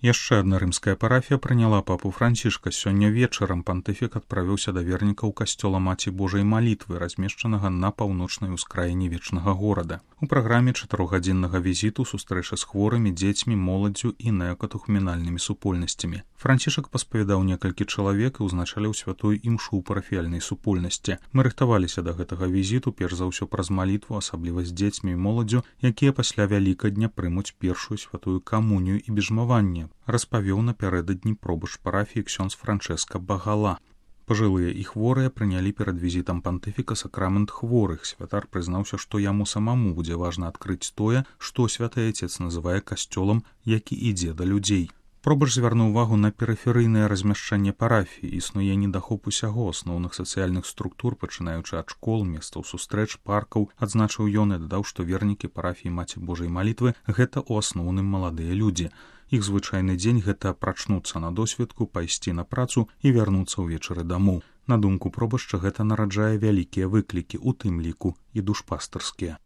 Яшчэ адна рымская парафія прыняла папу Францішка. Сёння вечарам пантыфік адправіўся да вернікаў касцёла Маці Божай малітвы, размешчанага на паўночнай ускраіне вечнага горада. У праграме 4-гадзіннага візіту сустрэча з хворымі, дзецьмі, моладдзю і неакатухменальнымі супольнасцямі. Францішак паспавядаў некалькі чалавек і ўзначаліў святую імшу ў парафіяльнай супольнасці. Мы рыхтаваліся да гэтага візіту, перш за ўсё праз малітву, асабліва з дзецьмі і моладдзю, якія пасля Вялікадня прымуць першую святую камунію і бежмаванне, распавёў напярэдадні пробышч парафіі ксёндз Франчэска Багала. Пажылыя і хворыя прынялі перад візітам пантыфіка сакрамент хворых. Святар прызнаўся, што яму самому будзе важна адкрыць тое, што святы Айцец называе касцёлам, які ідзе да людзей. Пробышч звярнуў увагу на перыферыйнае размяшчэнне парафіі. Існуе недахоп усяго асноўных сацыяльных структур, пачынаючы ад школ, месцаў сустрэч, паркаў, адзначыў ён і дадаў, што вернікі парафіі Маці Божай малітвы гэта ў асноўным маладыя людзі. Іх звычайны дзень гэта прачнуцца на досведку, пайсці на працу і вярнуцца ўвечары дамоў. На думку пробышча, гэта нараджае вялікія выклікі, у тым ліку і душпастарскія.